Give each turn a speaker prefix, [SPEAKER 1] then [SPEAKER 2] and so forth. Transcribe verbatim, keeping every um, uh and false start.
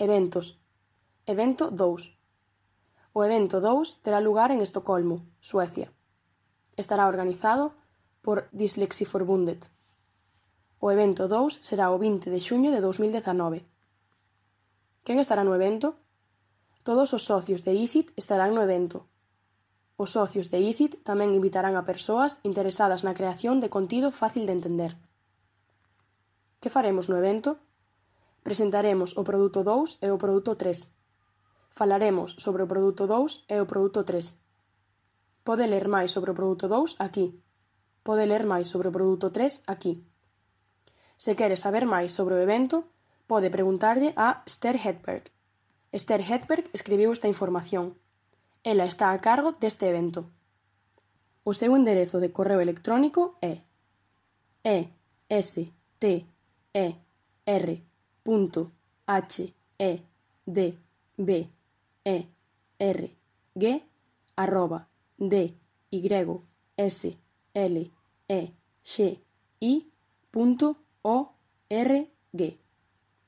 [SPEAKER 1] Eventos. Evento dous. O evento dous terá lugar en Estocolmo, Suecia. Estará organizado por Dyslexiforbundet. O evento dous será o vinte de xuño de dous mil dezanove. Quen estará no evento? Todos os socios de I S I T estarán no evento. Os socios de I S I T tamén invitarán a persoas interesadas na creación de contido fácil de entender. Que faremos no evento? Presentaremos o produto dous e o produto tres. Falaremos sobre o produto dous e o produto tres. Pode ler máis sobre o produto dous aquí. Pode ler máis sobre o produto tres aquí. Se quere saber máis sobre o evento, pode preguntarlle a Esther Hedberg. Esther Hedberg escribiu esta información. Ela está a cargo deste evento. O seu enderezo de correo electrónico é e s t e r punto h e d b e r g arroba d y s l e x i punto o r g.